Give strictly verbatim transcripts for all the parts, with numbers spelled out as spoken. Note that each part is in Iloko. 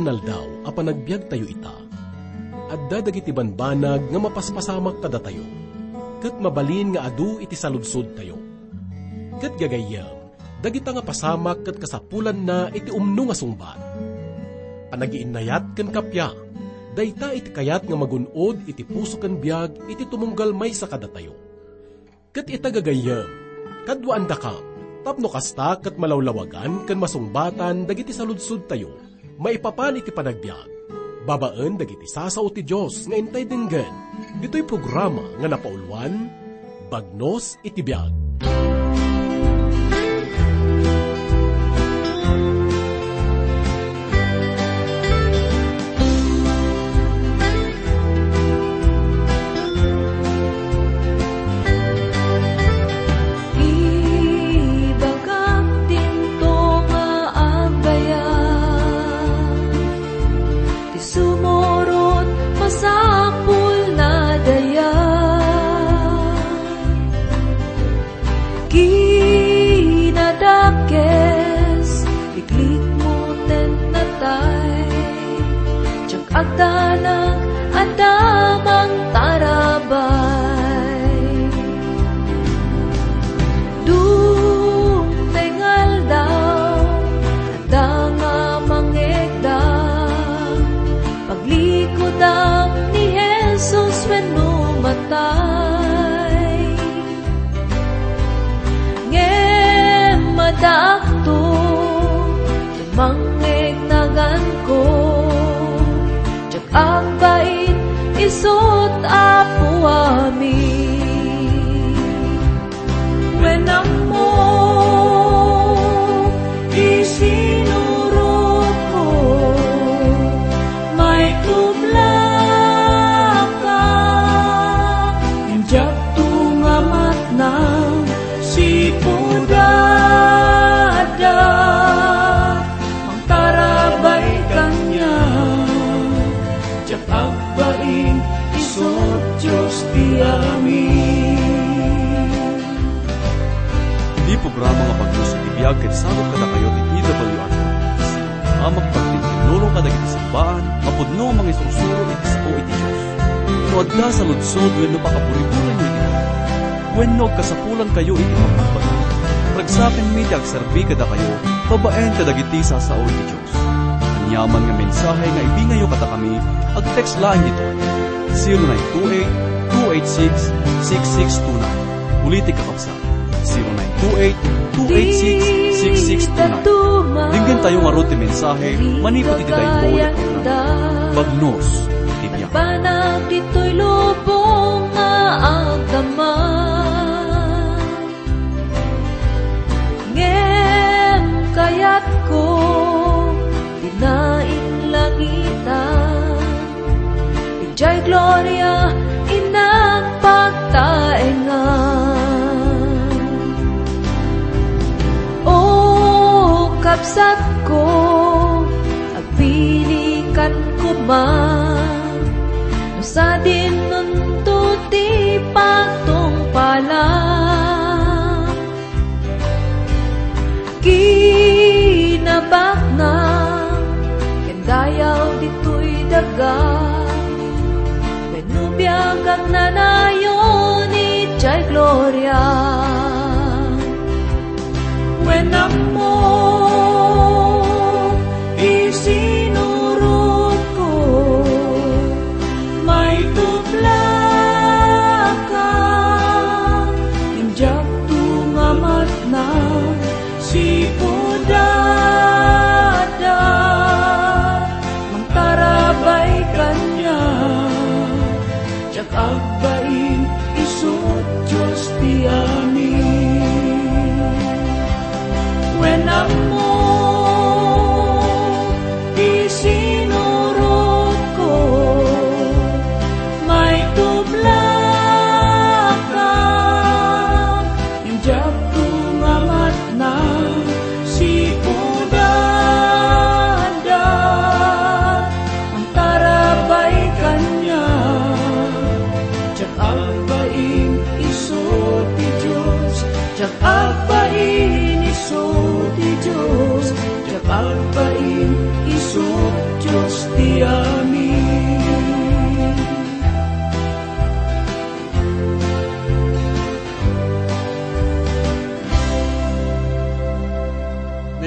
Aldaw a panagbiagtayo ita, adda dagiti banbanag nga mapaspasamak kadatayo, ket mabalin nga adu iti saludsodtayo. Ket gagayyem, dagita nga pasamak ket kasapulanna iti umno nga sungbat. Panagiinnayat ken kappia, dayta iti kayat nga magun-od iti puso ken biag iti tumunggal maysa kadatayo. Ket ita gagayyem, kaduaandakam, tapno kasta ket malawlawagan ken masungbatan dagiti saludsodtayo maipapan iti panagbiag, babaen dagiti sasao ti Dios nga intay denggen, ditoy programa nga napauluan, Bagnos iti Biag. Ibagak dinto nga agayam, ti sumurot masapulna dayaw. Kinadakes, iklikmo ten natay. Diak agdanag, adda mangtarabay. Dumteng aldaw, adda nga mangegda. Paglikudam ni Jesus wenno matay. Ngem addaakto, mangngegnaganko, diak agbain, isut' Apo amin. Wen ammo, isinurotko, maitublaka, ngem diakto nga matnang sipud adda mangtarabay kaniak. Diak agbain, isut' Dios ti amin. Ti programa nga Bagnos iti Biag ket sabot kadakayo ti T W R. Amak pagtintinulong kadagiti simbaan nga pudno a mangisursuro iti sao iti Dios. No adda saludsod wenno pakaburiburinyo iti wenno agkasapulankayo iti pagpagbagyo, ragsakenmi ti agserbi kadakayo babaen kadagiti sasao iti Dios. Aniaman nga mensahe nga ibingayyo kadakami, ag-text laeng ditoy, zero nine two eight, two eight six, six six two nine. Ulitek, kakabsat, zero nine two eight, two eight six, six six two nine. Denggentayo ngarud ti mensahe manipud iti daytoy a programa. Bagnos iti Biag. Banag ditoy lubong nga agdama. Ngem kayatko, dina inlangitan. Idiay gloria, innak pagtaengan. O kabsatko, agpilikan koma, no sadinonto ti pagtungpalan. Kinabaknang ken dayaw ditoy daga, wenno biag agnanayon idiay gloria. Wen ammo, isinurotko, maitublaka, ngem diakto nga matnang sipud adda mangtarabay kaniak. Diak agbain, isut' Dios ti amin. Wen ammo, isinurotko, maitublaka, ngem diakto nga matnang sipud adda mangtarabay kaniak. Diak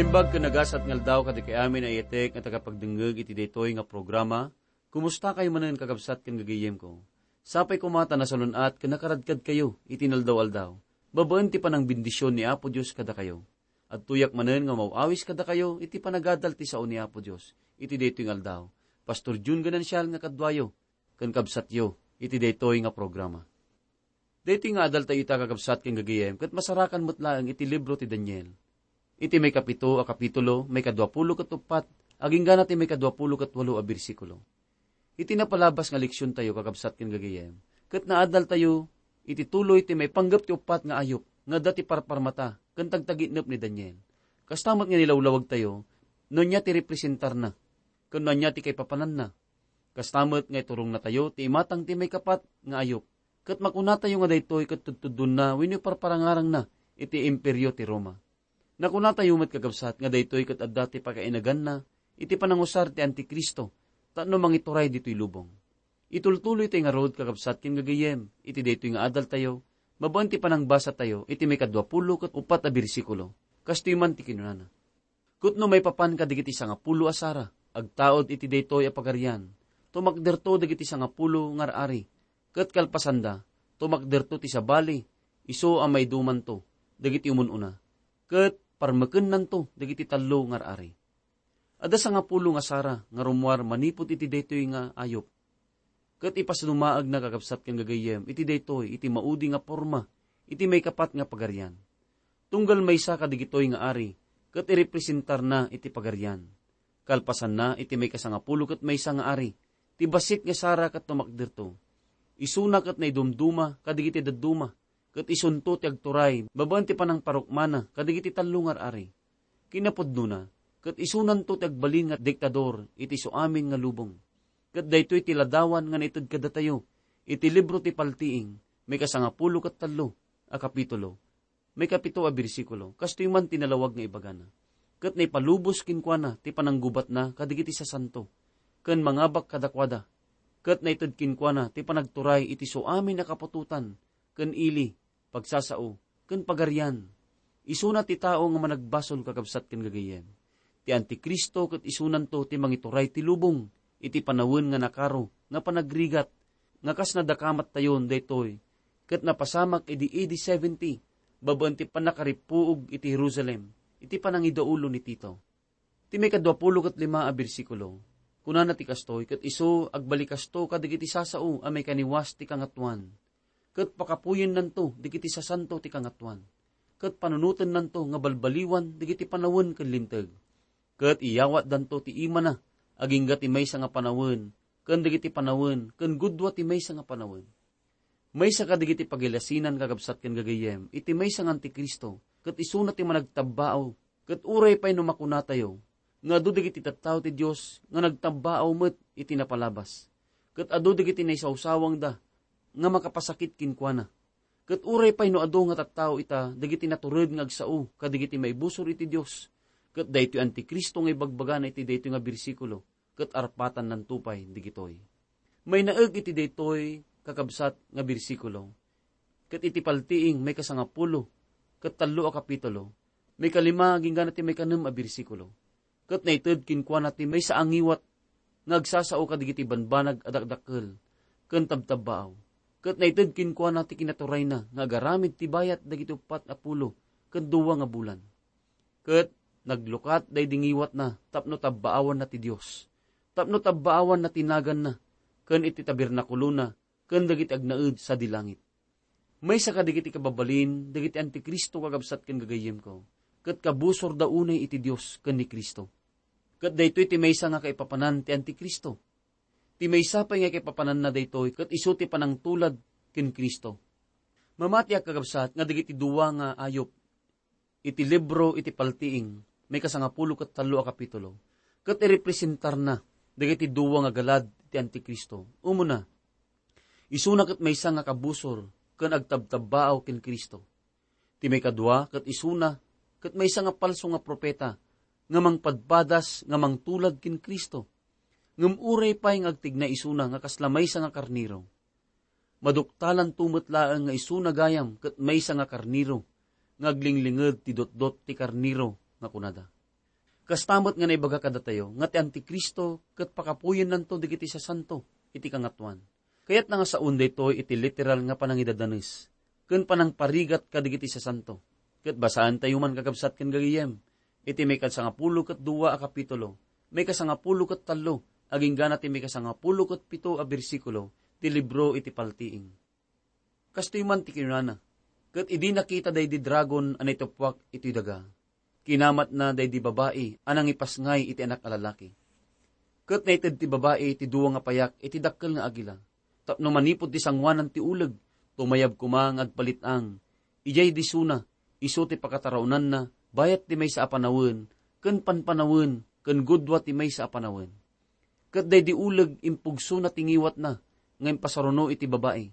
Naimbag ken nagasat nga aldaw kadakayo amin a nayatek nga tagapagdengngeg iti daytoy nga programa. Kumustakayo manen, kakabsat ken gagayyemko? Sapay koma ta nasalun-at ken nakaradkadkayo iti inaldaw-aldaw babaen ti panangbendisyon ni Apo Dios kadakayo. Adtoyak manen nga umaw-awis kadakayo iti panagadal ti sao ni Apo Dios iti daytoy nga aldaw. Pastor Jun Ganancial nga kaduayo ken kabsatyo iti daytoy nga programa. Daytoy nga adaltayo ita, kakabsat ken gagayyem, ket masarakan met laeng iti libro ti Daniel. Iti maikapito a kapitulo, maikaduapulo ket uppat, agingga na ti maikaduapulo ket walo a bersikulo. Iti napalabas nga leksiontayo, kakabsat ken gagayyem, ket naadaltayo iti tuloy ti maipanggep ti uppat nga ayup nga adda ti parparmata ken tagtagitnep ni Daniel. Kasta met nga nilawlawagtayo no ania ti representarna ken no ania ti kaipapananna. Kasta met nga iturongnatayo ti imatang ti maikapat nga ayup, ket makunatayo nga daytoy ket tudtuddonna wenno parparangarangna iti Imperio ti Roma. Nakunatayo met, kakabsat, nga daytoy ket adda ti pakainaganna iti panangusar ti Antikristo tapno mangituray ditoy lubong. Itultuloytayo ngarud, kakabsat ken gagayyem, iti daytoy nga adaltayo babaen ti panangbasatayo iti maikaduapulo ket uppat a bersikulo. Kastoy man ti kinunana: Ket no maipapan kadagiti sangapulo a sara, agtaud iti daytoy a pagarian, tumakderto dagiti sangapulo nga ar-ari, ket kalpasanda, tumakderto ti sabali, isu a maidumanto dagiti umun-una, ket parmekennanto dagiti tallo nga ar-ari. Adda sangapulo nga sara nga rummuar manipud iti daytoy nga ayup. Ket ipasdumaagna, kakabsat ken gagayyem, iti daytoy iti maudi nga porma iti maikapat nga pagarian. Tunggal maysa kadagitoy nga ari, ket irepresentarna iti pagarian. Kalpasanna, iti maikasangapulo ket maysa nga ari, ti bassit nga sara ket tumakderto. Isuna ket naidumduma kadagiti dadduma, ket isunto ti agturay babaen ti panangparukmana kadagiti tallo nga ar-ari. Kinapudnona, ket isunanto ti agbalin nga diktador iti isuamin nga lubong. Ket daytoy ti ladawan nga naited kadatayo iti libro ti Paltiing, maikasangapulo ket tallo a kapitulo, maikapito a bersikulo. Kastoy man ti nalawag nga ibagana: Ket naipalubos kenkuana ti pananggubatna kadagiti sasanto, ken mangabak kadakuada. Ket naited kenkuana ti panagturay iti suamin a kaputotan, ken ili, pagsasao, ken pagarian. Isuna ti tao nga managbasol, kakabsat ken gagayyem. Ti Antikristo ket isunanto ti mangituray ti lubong iti panawen nga nakaro nga panagrigat, nga kas nadakamattayon daytoy, ket napasamak idi A D seventy, babaen ti pannakarippuog iti Jerusalem, iti panangidaulo ni Tito. Ti maikaduapulo ket lima a bersikulo, kunana ti kastoy: Ket isu, agbalikasto kadagiti sasao a maikaniwas ti Kangatoan, ket pakapuyennanto dagiti sasanto ti Kangatoan, ket panunotennanto nga balbaliwan dagiti panawen ken linteg, ket iyawatdanto ti imana agingga ti maysa nga panawen ken dagiti panawen ken gudua ti maysa nga panawen. Maysa kadagiti pagilasinan, kakabsat ken gagayyem, iti maysa nga Antikristo, ket isuna ti managtabbaaw. Ket uray pay no makunatayo nga adu dagiti tattao ti Dios nga nagtabbaaw met iti napalabas, ket adu dagiti naisawsawangda nga makapasakit kenkuana, ket uray pay no adu nga tattao ita dagiti natured nga agsao kadagiti maibusor iti Dios, ket daytoy Antikristo nga ibagbagana iti daytoy nga bersikulo, ket arpatannanto pay dagitoy. Mainaeg iti daytoy, kakabsat, nga bersikulo, ket iti Paltiing, maikasangapulo ket tallo a kapitulo, maikalima agingga ti maikanem a bersikulo. Ket naited kenkuana ti maysa a ngiwat nga agsasao kadagiti banbanag a dakdakkel ken tabtabbaaw. Ket naited kenkuana ti kinaturayna nga agaramid ti bayat dagiti uppat a pulo ken dua nga bulan. Ket naglukat daydi ngiwatna tapno tabbaawanna ti Dios, tapno tabbaawanna ti naganna ken iti tabernakulona ken dagiti agnaed sadi langit. Maysa kadagiti kababalin dagiti Antikristo, kakabsat ken gagayyemko, ket kabusorda unay iti Dios ken ni Cristo. Ket daytoy ti maysa nga kaipapanan ti Antikristo. Ti maysa pay nga kaipapananna daytoy ket isu ti panangtulad ken Cristo. Mamatiak, kakabsat, nga dagiti dua nga ayup iti libro iti Paltiing, maikasangapulo ket tallo a kapitulo, ket irepresentarna dagiti dua nga galad ti Antikristo. Umuna, isuna ket maysa nga kabusor ken agtabtabbaaw ken Cristo. Ti maikadua ket isuna ket maysa nga palso nga profeta nga mangpadpadas nga mangtulad ken Cristo. Ngem uray pay nga agtigna isuna nga kasla maysa nga karnero, maduktalanto met laeng nga isuna gayam ket maysa nga karnero nga aglinglinged ti dotdot ti karnero nga kunada. Kasta met nga naibaga kadatayo nga ti Antikristo ket pakapuyennanto dagiti sasanto iti Kangatoan. Kayatna nga saon daytoy iti literal nga panangidadanes ken panangparigat kadagiti sasanto. Ket basaentayo man, kakabsat ken gagayyem, iti maikasangapulo ket dua a kapitulo, maikasangapulo ket tallo, agingga na ti maikasangapulo ket pito a bersikulo ti libro iti Paltiing. Kastoy man ti kinunana, "Ket idi nakita daydi dragon a naituppuak iti daga, kinamatna daydi babai a nangipasngay iti anak a lalaki. Ket naited ti babai ti dua nga payak iti dakkel nga agila, tapno manipud ti sangoanan ti uleg, tumayab koma nga agpalit-ang. Idiay disona, isu ti pakataraonanna, bayat ti maysa a panawen, ken panpanawen, ken gudua ti maysa a panawen. Ket daydi uleg impugsona ti ngiwatna nga impasaruno iti babai,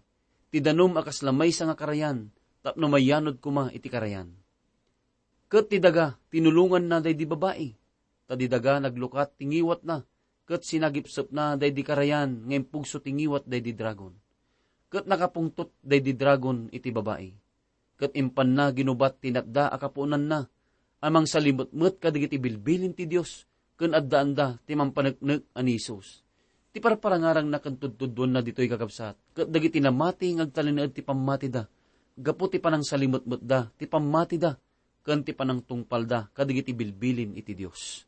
ti danum a kasla maysa nga karayan, tapno mayanod koma iti karayan. Ket ti daga, tinulonganna daydi babai, ta di daga naglukat ti ngiwatna, ket sinagipsepna daydi karayan nga impugso ti ngiwat daydi dragon. Ket nakapungtot daydi dragon iti babai, ket impanna ginubat ti natda a kapuonanna a mangsalimetmet kadagiti bilbilin ti Dios, ken addaanda ti mampaneknek a ni Jesus." Ti parparangarangna ken tudtuduenna ditoy, kakabsat, ket dagiti namati nga agtalinaed ti pammatida gapu ti panangsalimetmetda ti pammatida ken ti panangtungpalda kadagiti bilbilin iti Dios.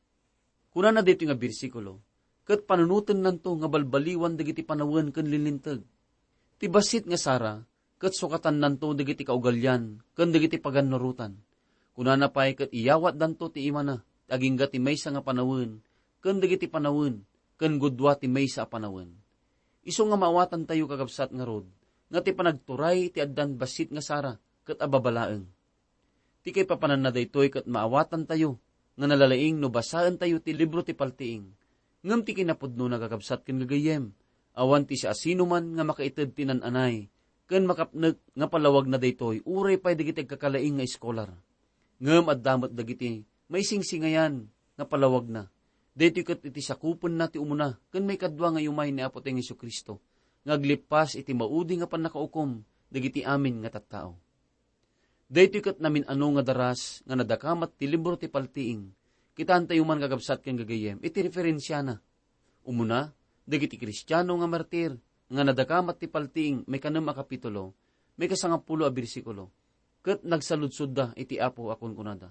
Kunana daytoy nga bersikulo, "Ket panunotennanto nga balbaliwan dagiti panawen ken linlinteg. Ti bassit nga sara, ket sukatannanto dagiti kaugalian ken dagiti pagannurotan. Kunana pay ket iyawatdanto ti imana, ti agingga ti maysa nga panawen, ken dagiti panawen, ken gudua ti maysa a panawen." Isu nga maawatantayo, kakabsat, ngarud, nga ti panagturay ti addan bassit nga sara ket ababalaeng. Ti kaipapananna daytoy ket maawatantayo nga nalalaing no basaentayo ti libro ti Paltiing. Ngem ti kinapudnona, kakabsat ken gagayyem, awan ti siasinoman nga makaited ti nan-anay ken makapnek nga palawagna daytoy uray pay dagiti agkakalaing nga eskolar. Ngem adda met dagiti maisingsingayan nga palawagna. Daytoy ket iti sakupenna ti umuna ken maikadua nga iumay ni Apotayo nga Jesu-Cristo nga aglippas iti maudi nga pannakaukom dagiti amin nga tattao. Daytoy ket namin-ano nga daras nga nadakamat ti libro ti Paltiing. Kitaentayo man, kakabsat ken gagayyem, iti referensiana. Umuna, dagiti Kristiano nga martir nga nadakamat ti Paltiing, maikanem a kapitulo, maikasangapulo a bersikulo, ket nagsaludsodda iti Apo a kunkunada,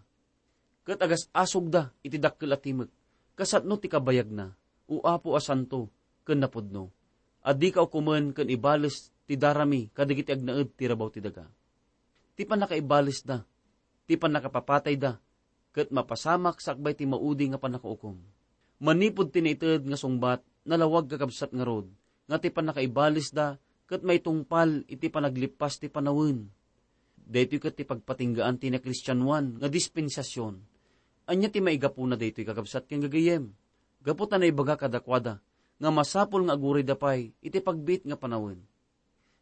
ket agas-asogda iti dakkel a timek, kasano ti kabayagna, O Apo a santo ken napudno, a dika ukomen ken ibales ti darami kadagiti agnaed ti rabaw ti daga. Ti pannakaibalesda, ti pannakapapatayda, ket mapasamak sakbay ti maudi nga pannakaukom. Manipud ti naited nga sungbat, nalawag, kakabsat, ngarud nga ti pannakaibalesda ket maitungpal iti panaglippas ti panawen. Daytoy ket ti pagpatinggaan ti nakristianoan nga dispensasion. Ania ti maigapuna daytoy, kakabsat ken gagayyem? Gapu ta naibaga kadakuada nga masapul nga agurayda pay iti pagbiit nga panawen.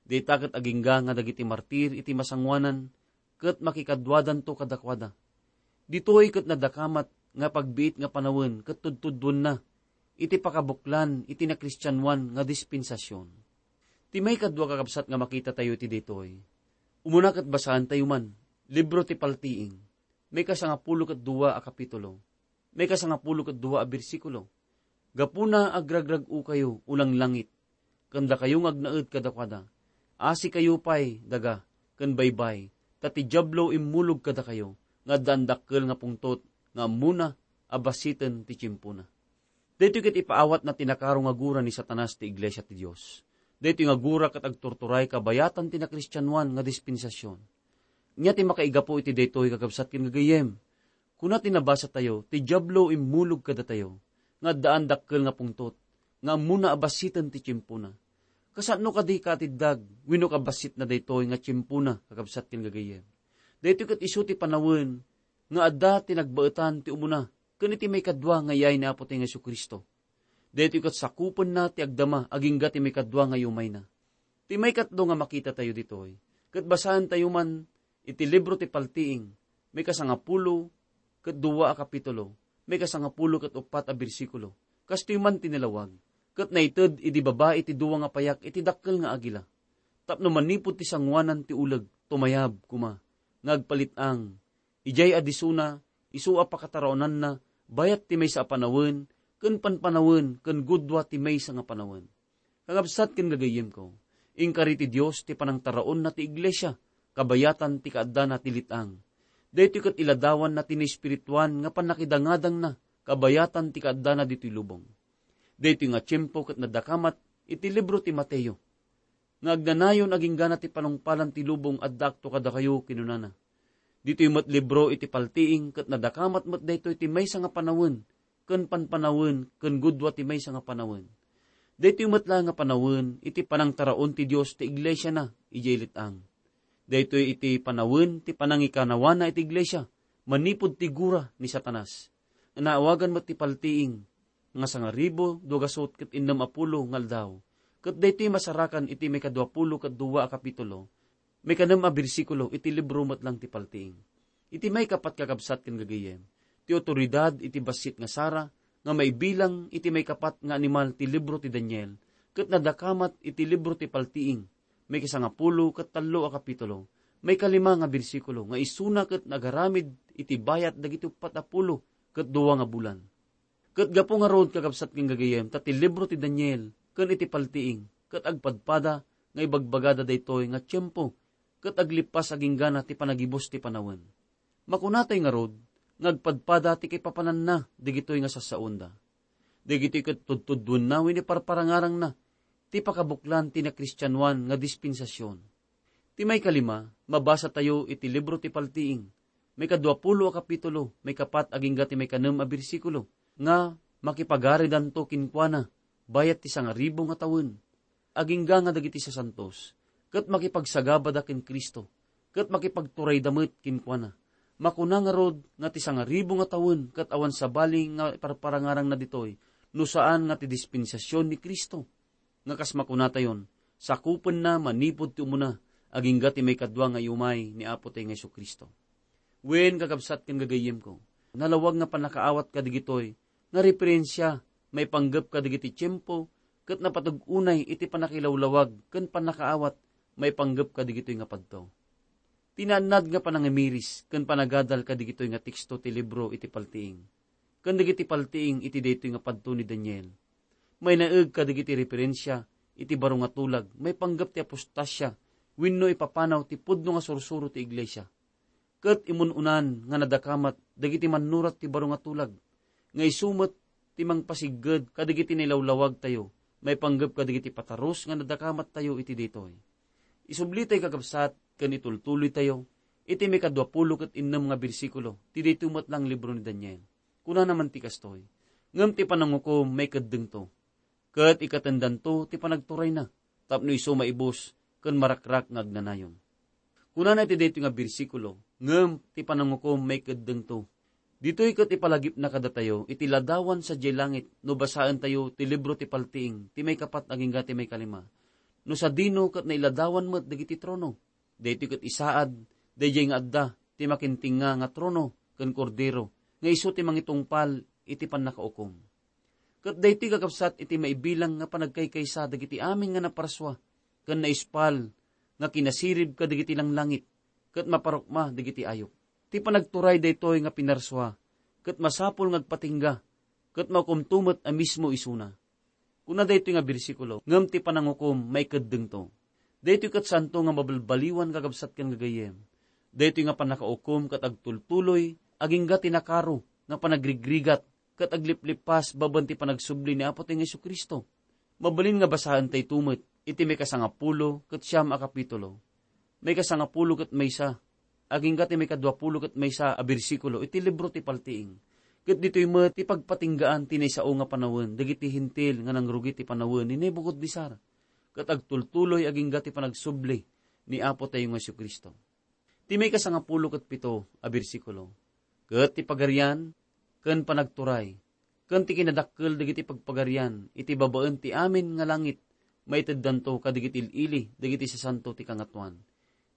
Dayta ket agingga nga dagiti martir iti masangoanan ket makikaduadanto kadakuada. Ditoy ket nadakamat nga pagbiit nga panawen ket tudtuduenna iti pakabuklan iti nakristianoan nga dispensasion. Ti maikadua, kakabsat, nga makitatayo iti daytoy, umuna ket basaentayo man, libro ti Paltiing, maikasangapulo ket dua a kapitulo, maikasangapulo ket dua a bersikulo. Gapuna, agragrag-okayo, ulang langit, ken dakayo nga agnaed kadakuada. Asikayo pay, daga, ken baybay, ta ti Diablo immulog kadakayo nga adda andakkel nga pungtot nga ammona a basiten ti tiempona. Daytoy ket ipaawatna ti nakaro nga gura ni Satanas ti iglesia ti Dios. Daytoy nga gura ket agturturay kabayatan ti nakristianoan nga dispensasion. Ania ti makaigapu iti daytoy, kakabsat ken gagayyem? Kuna ti nabasatayo, ti Diablo immulog kadatayo nga addaan dakkel nga pungtot nga ammona a basiten ti tiempona. Kasano kadi kaatiddag wenno kabasitna daytoy nga tiempona, kakabsat ken gagayyem? Daytoy ket isu ti panawen nga adda ti nagbaetan ti umuna ken iti maikadua nga iay ni Apotayo nga Jesu-Cristo. Daytoy ket sakupenna ti agdama agingga ti maikadua nga iumayna. Ti maikatlo nga makitatayo ditoy, ket basaentayo man iti libro ti Paltiing, maikasangapulo ket dua a kapitulo, maikasangapulo ket uppat a bersikulo. Kastoy man ti nalawag, ket naited idi babai ti dua nga payak iti dakkel nga agila, tapno manipud ti sangoanan ti uleg, tumayab koma nga agpalit-ang. Idiay a disona, isu a pakataraonanna, bayat ti maysa a panawen, ken panpanawen, ken gudua ti maysa nga panawen. Kakabsat ken gagayyemko, inkari ti Dios ti panangtaraonna ti iglesia, kabayatan ti kaaddana ti let-ang. Daytoy ket iladawanna ti naespirituan nga pannakidangadangna, kabayatan ti kaaddana ditoy lubong. Daytoy nga tiempo ket nadakamat iti libro ti Mateo, nga agnanayon agingga ti panungpalan ti lubong addaakto kadakayo, kinunana. Ditoy met libro iti paltiing ket nadakamat met daytoy ti maysa nga panawen, ken panpanawen, ken gudua ti maysa nga panawen. Daytoy met la nga panawen iti panangtaraon ti Dios ti iglesiana idiay let-ang. Daytoy iti panawen ti panangikanawana iti iglesia manipud ti gura ni Satanas. Naawagan met ti paltiing nga sangaribu dua gasut ket innem a pulo nga aldaw, ket daytoy masarakan iti maikadua pulo ket dua a kapitulo, maikanem a bersikulo iti libro met lang ti paltiing. Iti maikapat, kakabsat ken gagayyem, ti otoridad iti bassit nga sara nga maibilang iti maikapat nga animal ti libro ti Daniel, ket nadakamat iti libro ti paltiing, maikasangapulo ket tallo a kapitulo, maikalima nga bersikulo, nga isuna ket nagaramid iti bayat dagiti uppat a pulo ket dua nga bulan. Ket gapu ngarud, kakabsat ken gagayyem, ta ti libro ti Daniel ken iti paltiing ket agpadpada nga ibagbagada daytoy nga tiempo ket aglippas agingga ti panagibus ti panawen. Makunatay ngarud nga agpadpada ti kaipapananna dagitoy nga sassaonda. Dagitoy ket tudtudduenna wenno parparangarangna ti pakabuklan ti nakristianoan nga dispensasion. Ti maikalima, mabasatayo iti libro ti Paltiing, maikadua pulo a kapitulo, maikapat agingga ti maikanem a bersikulo, nga makipagaridanto kenkuana bayat ti sangaribu nga tawen, agingga nga dagiti sasantos, ket makipagsagabada ken Cristo, ket makipagturayda met kenkuana. Makuna ngarud nga ti sangaribu nga tawen ket awan sabali nga parparangarangna ditoy, no saan nga ti dispensasion ni Cristo. Nga kas makunatayon, sakupenna manipud ti umuna, agingga ti maikadua nga iumay ni Apotayo nga Jesu-Cristo. Wen, kakabsat ken gagayyemko, nalawag nga pannakaawat kadigitoy nga referensia maipanggep kadigiti tiempo ket napateg unay iti pannakilawlawag ken pannakaawat maipanggep kadigitoy nga padto. Ti naannad nga panangimiris ken panagadal kadigitoy nga teksto ti libro iti Paltiing ken dagiti paltiing iti daytoy nga padto ni Daniel. Mainaeg kadigiti referensia iti baro nga tulag maipanggep ti apostasia wenno ipapanaw ti pudno nga sursuro ti iglesia. Ket imun-unan nga nadakamat dagiti mannurat ti baro nga tulag, nga isu met ti mangpasigged kadigiti nailawlawagtayo maipanggep kadigiti patarus nga nadakamattayo iti daytoy. Isublitayo, kakabsat, ken itultuloytayo iti maikadua pulo ket innem nga bersikulo ti daytoy met lang libro ni Daniel. Kunana man ti kastoy, "Ngem ti panangukom maikeddengto, ket ikatendanto ti panagturayna, tapno isu maibus ken marakrak nga agnanayon." Kunana iti daytoy nga bersikulo, "Ngem ti panangukom maikeddengto." Ditoy ket ipalagipna kadatayo iti ladawan sadiay langit no basaentayo ti libro ti Paltiing, ti maikapat agingga ti maikalima. No sadino ket nailadawan met dagiti trono. Daytoy ket isaad daydiay nga adda ti makintengnga nga trono ken Kordero, nga isu ti mangitungpal iti pannakaukom. Ket daytoy, kakabsat, iti maibilang nga panagkaykaysa dagiti amin nga naparsua ken naispal nga kinasirib kadagiti langlangit ket maparukma dagiti ayup. Ti panagturay daytoy nga pinarsua ket masapul nga agpatingga ket maukomto met a mismo isuna. Kuna daytoy nga bersikulo, "Ngem ti panangukom maikeddengto." Daytoy ket saanto nga mabalbaliwan, kakabsat ken gagayyem. Daytoy nga pannakaukom ket agtultuloy agingga ti nakaro nga panagrigrigat ket agliplippas babaen ti panagsubli ni Apotayo nga Jesu-Cristo. Mabalin nga basaentayo met iti maikasangapulo ket siam a kapitulo. Maikasangapulo ket maysa, agingga ti maikadua pulo ket maysa a bersikulo iti libro ti Paltiing. Ket ditoy met ti pagpatinggaan ti naisao nga panawen dagiti Hentil nga nangrugi ti panawen ni Nebucodonesar, ket agtultuloy agingga ti panagsubli ni Apotayo nga Jesu-Cristo. Ti maikasangapulo ket pito a bersikulo, ket ti pagarian ken panagturay, ken ti kinadakkel dagiti pagpagarian iti babaen ti amin nga langit, maiteddanto kadigiti il-ili dagiti sasanto ti Kangatoan.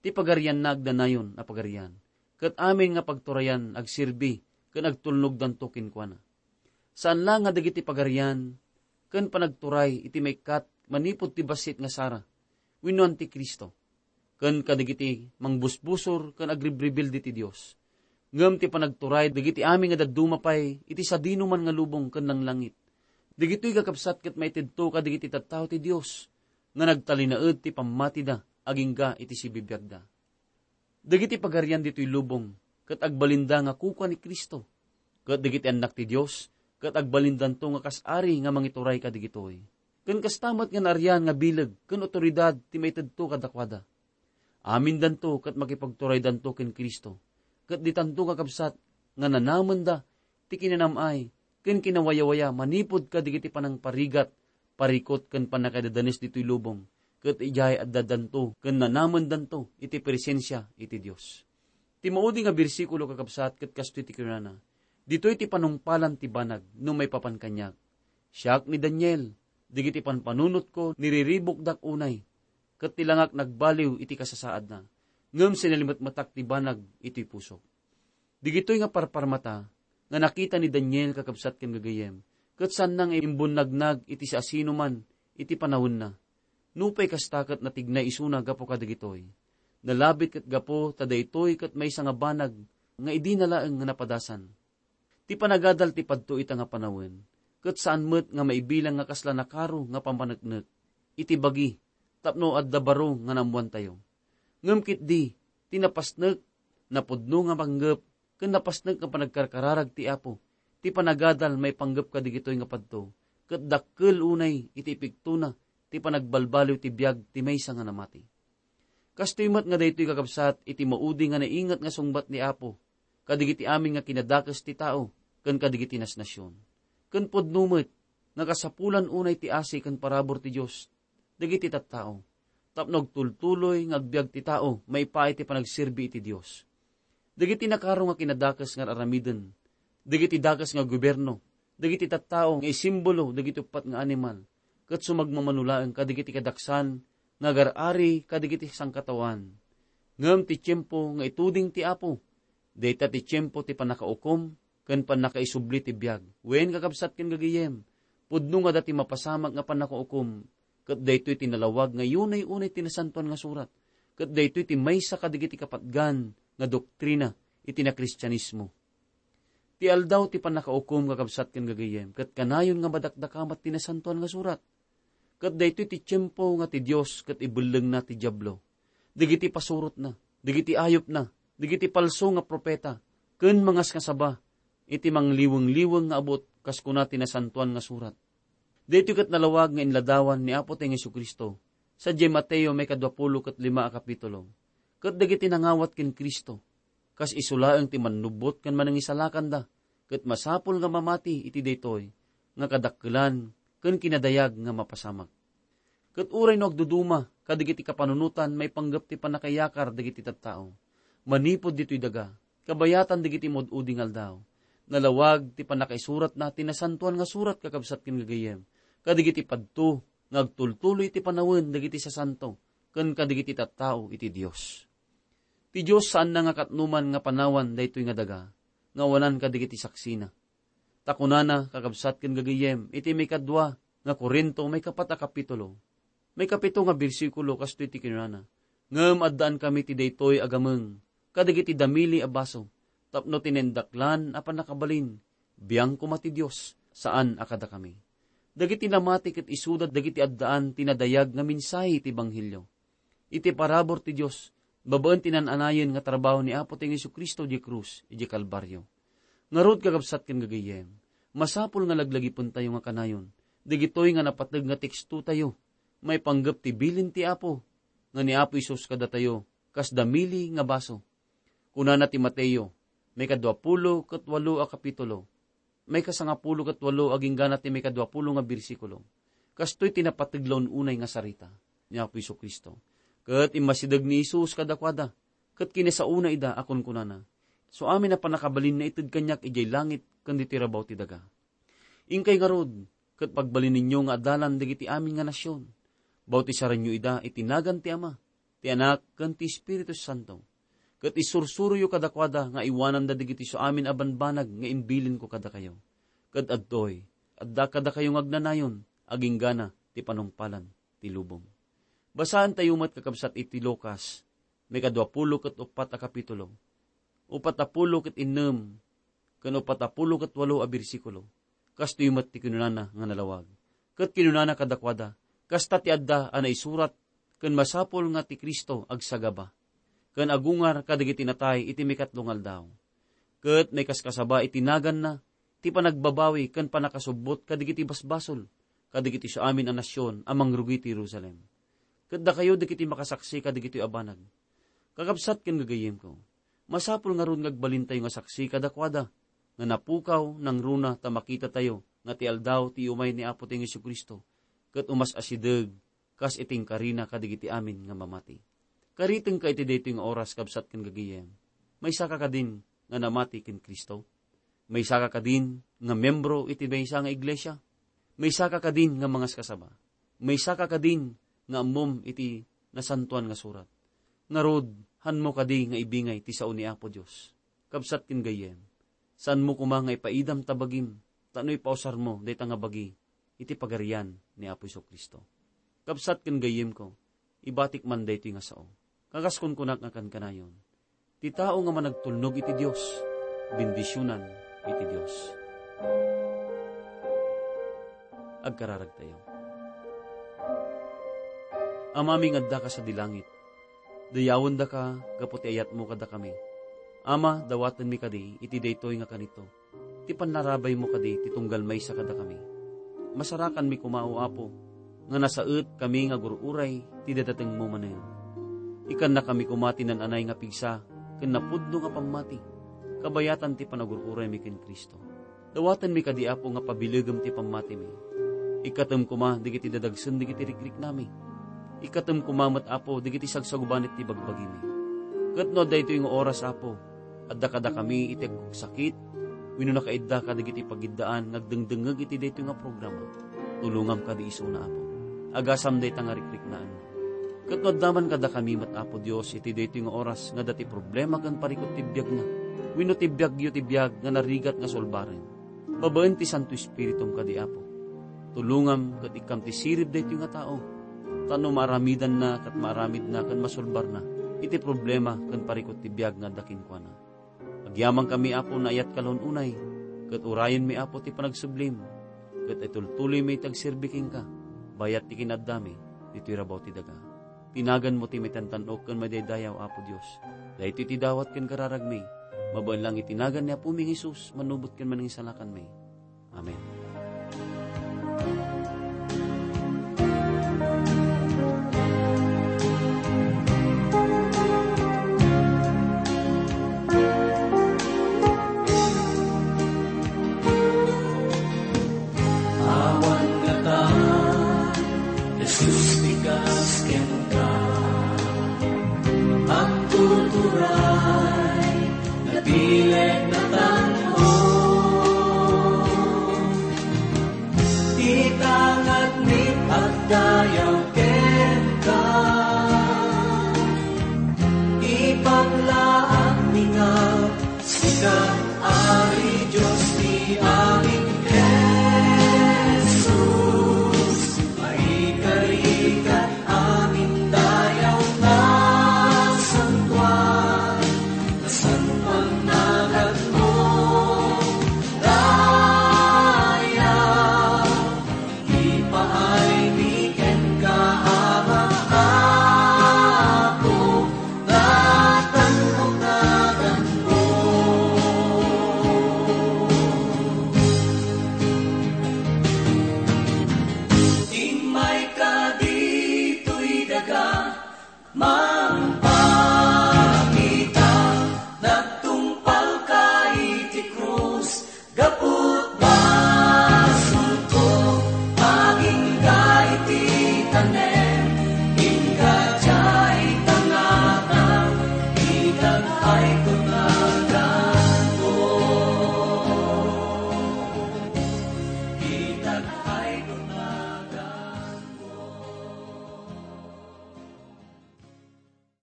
Ti pagarianna agdanayon a pagarian, ket amin nga pagturayan agserbi ken agtulnogdanto kenkuana. Saan la nga dagiti pagarian ken panagturay iti maikkat manipud ti bassit nga sara wenno Antikristo, ken kadagiti mangbusbusor ken agribribildi ti Dios. Ngem ti panagturay dagiti amin nga dadduma pay iti sadinoman nga lubong ken langlangit. Dagitoy kakabsat ket maitedto kadagiti tattao ti Dios nga nagtalinaed ti pammatida agingga iti sibibiagda. Dagiti pagarian ditoy lubong ket agbalinda nga kukua ni Cristo, ket dagiti annak ti Dios ket agbalindanto nga kas ari nga mangituray kadagitoy. Ken kasta met nga naarian nga bileg ken awtoridad ti maitedto kadakuada. Amindanto ket makipagturaydanto ken Cristo, ket ditanto kakabsat nga nanamenda ti kinanam-ay ken kinawayawaya manipud kadagiti panangparigat, parikut ken pannakaidadanes ditoy lubong, ket idiay addadanto ken nanamendanto iti presensia iti Dios. Ti maudi nga bersikulo, kakabsat, ket kastoy ti kinunana, "Ditoy ti panungpalan ti banag no maipapan kaniak. Siak ni Daniel, dagiti panpanunotko niriribukdak unay, ket ti langak nagbaliw iti kasasaadna, ngem sinalimetmetak ti banag iti pusok." Dagitoy nga parparmata nga nakita ni Daniel, kakabsat ken gagayyem, ket saanna nga imbunnagna iti siasinoman iti panawenna. Nupay kasta, ket natignay isuna gapu kadagitoy. Nalabit ket gapu ta daytoy ket maysa nga banag nga idina laeng nga napadasan. Ti panagadal ti padto ita nga panawen, ket saan met nga maibilang nga kasla nakaro nga pampaneknek iti bagi tapno adda baro nga naammoantayo. Ngem ketdi, ti napasnek, napudno nga panggep, ken napasnek nga panagkarkararag ti Apo, ti panagadal maipanggep kadagitoy nga padto, ket dakkel unay iti ipiktona ti panagbalbaliw ti biag ti maysa nga namati. Kastoy met nga daytoy, kakabsat, iti maudi nga nainget nga sungbat ni Apo kadagiti amin nga kinadakes ti tao ken kadagiti nasnasion. Ken pudno met nga kasapulan unay ti asi ken parabur ti Dios dagiti tattao, tapno agtultuloy nga agbiag ti tao maipaay ti panagserbi iti Dios. Dagiti nakaro nga kinadakes nga ar-aramiden, dagiti dakes nga gobierno, dagiti tattao nga isimbolo dagiti uppat nga animal, ket sumagmamano laeng kadagiti kadaksan nga agar-ari kadagiti sangkataoan. Ngem ti tiempo nga ituding ti Apo, dayta ti tiempo ti pannakaukom ken pannakaisubli ti biag. Wen, kakabsat ken gagayyem, pudno nga adda ti mapasamak nga pannakaukom, ket daytoy ti nalawag nga unay-unay ti Nasantoan nga Surat, ket daytoy ti maysa kadagiti kapatgan nga doktrina iti Nakristianismo. Ti aldaw ti pannakaukom, kakabsat ken gagayyem, ket kanayon nga madakdakamat ti Nasantoan nga Surat. Ket daytoy ti tiempo nga ti Dios ket ibellengna ti Diablo, dagiti pasurotna, dagiti ayupna, dagiti palso nga profeta, ken mangasngasaba iti mangliweng-liweng nga abut, kas kuna ti Nasantoan nga Surat. Daytoy ket nalawag nga inladawan ni Apotayo nga Jesu-Cristo, sadiay Mateo maikadua pulo ket lima a kapitulo. Ket dagiti nangawat ken Cristo, kas isu laeng ti mannubbot ken manangisalakanda, ket masapul nga mamati iti daytoy nga kadakkelan ken kinadayag nga mapasamak. Ket uray no agduduma kadagiti kapanunotan maipanggep ti pannakayakar dagiti tattao, manipud ditoy daga, kabayatan dagiti maud-udi nga aldaw, nalawag ti pannakaisuratna ti Nasantoan nga Surat, kakabsat ken gagayyem, kadagiti padto nga agtultuloy iti panawen dagiti sasanto ken kadagiti tattao iti Dios. Ti Dios saanna nga katnoman nga panawan daytoy nga daga nga awanan kadagiti saksina. Ta kunana, kakabsat ken gagayyem, iti maikadua nga Corinto, maikapat a kapitulo, maikapito nga bersikulo, kastoy ti kinunana, "Ngem addaan kami ti daytoy a gameng kadagiti damili a baso, tapno ti naindaklan a pannakabalin, biang koma ti Dios, saan a kadakami." Dagiti namati ket isuda dagiti addaan ti nadayag nga mensahe ti ebanghelio. Iti parabur ti Dios, babaen ti naan-anayen nga trabaho ni Apotayo Jesu-Cristo idiay krus, idiay Kalbario. Ngarud, kakabsat ken gagayyem, masapul nga laglagipentayo nga kanayon dagitoy nga napateg nga tekstotayo maipanggep ti bilin ti Apo nga ni Apo Jesus kadatayo kas damili nga baso. Kunana ti Mateo, maikadua pulo ket walo a kapitulo, maikasangapulo ket walo agingga na ti maikadua pulo nga bersikulo. Kastoy ti napateg la un-unay nga sarita ni Apo Jesu-Cristo. Ket immasideg ni Jesus kadakuada, ket kinasaona ida a kunkunana, "Su amin a pannakabalin naited kaniak idiay langit ken ditoy rabaw ti daga. Inkay ngarud, ket pagbalinnyo nga adalan dagiti amin nga nasion. Bautisaranyo ida iti nagan ti Ama, ti Anak, ken ti Espiritu Santo. Ket isursuroyo kadakuada nga iwananda dagiti su amin a banbanag nga imbilinko kadakayo. Ket adtoy, adda kadakayo nga agnanayon, aginggana ti panungpalan ti lubong." Basaentayo met, kakabsat, iti Lucas, maikadua pulo ket uppat a kapitulo. upat a pulo ket innem, ken upat a pulo ket walo a bersikulo. Kastoy met ti kinunana nga nalawag. Ket kinunana kadakuada, kasta ti adda a naisurat, ken masapul nga ti Cristo agsagaba, ken agungar kadagiti natay iti mikatlo nga aldaw. Ket maikaskasaba iti naganna ti panagbabawi ken pannakasubbot kadagiti basbasol, kadagiti siamin a nasion a mangrugi ti Jerusalem. Ket dakayo dagiti makasaksi kadagitoy a banag. Kakabsat ken gagayyemko, masapul ngarud nga agbalintayo nga saksi kadakuada, nga napukaw nangruna ta makitatayo nga ti aldaw ti umay ni Apotayo Jesu-Cristo, ket umas-asideg kas iti inkarina kadagiti amin nga mamati. Karitengka iti daytoy nga oras, kabsat ken gagayyem. Maysaka kadin nga namati ken Cristo? Maysaka kadin nga membro iti maysa nga iglesia? Maysaka kadin nga mangaskasaba? Maysaka kadin nga ammom iti Nasantoan nga Surat? Ngarud, hanmo kadi nga ibingay ti sao ni Apo Dios? Kabsat ken gayyem, saanmo koma nga ipaidam ta bagim, tapno ipausarmo dayta nga bagi iti Pagarian ni Apo Jesu-Cristo. Kabsat ken gayyemko, ibatik man daytoy nga sao. Kakas kunkunak nga kankanayon, ti tao nga managtulnog iti Dios, bendisionan iti Dios. Agkararagtayo. Amami nga addaka sadi langit, dayawendaka gapu ti ayatmo kadakami. Ama, dawatenmi kadi iti daytoy nga kanito ti pannarabaymo kadi ti tunggal maysa kadakami. Masarakanmi koma, O Apo, nga nasaetkami nga agur-uray ti dadatengmo manen. Ikkannakami koma ti naan-anay nga pigsa ken napudno nga pammati, kabayatan ti panagur-uraymi ken Cristo. Dawatenmi kadi, Apo, nga pabilegem ti pammatimi. Ikkatem koma dagiti dadagsen dagiti rikriknami. Ikkatem koma met, Apo, dagiti sagsagubanit ti bagbagimi. Ket no daytoy nga oras, Apo, adda kadakami iti agsakit wenno nakaidda kadagiti pagiddaan nga agdengdengngeg iti daytoy nga programa, tulongam kadi isuna, Apo. Agasam dayta nga rikriknaanna. Ket no adda man kadakami met, Apo Dios, iti daytoy nga oras nga adda ti problema ken parikut ti biagna, wenno ti biagyo ti biag nga narigat nga sulbaren, babaen ti Santo Espiritum kadi, Apo, tulongam ket ikkam ti sirib daytoy nga tao, tapno maaramidanna ket maaramidna ken masulbarna iti problema ken parikut ti biag nga adda kenkuana. Agyamankami, Apo, naayat kalon unay, ket urayenmi, Apo, ti panagsublim, ket itultuloymi ti agserbi kenka, bayat ti kinaaddami ditoy rabaw ti daga. Ti naganmo ti maitantan-ok ken madaydayaw, Apo Dios. Daytoy ti dawat ken kararagmi, babaen lang iti nagan ni Apomi nga Jesus, manubot ken Manangisalakanmi. Amen. Awan ngata, Jesus, ti kas kenka. Agtuturay, napili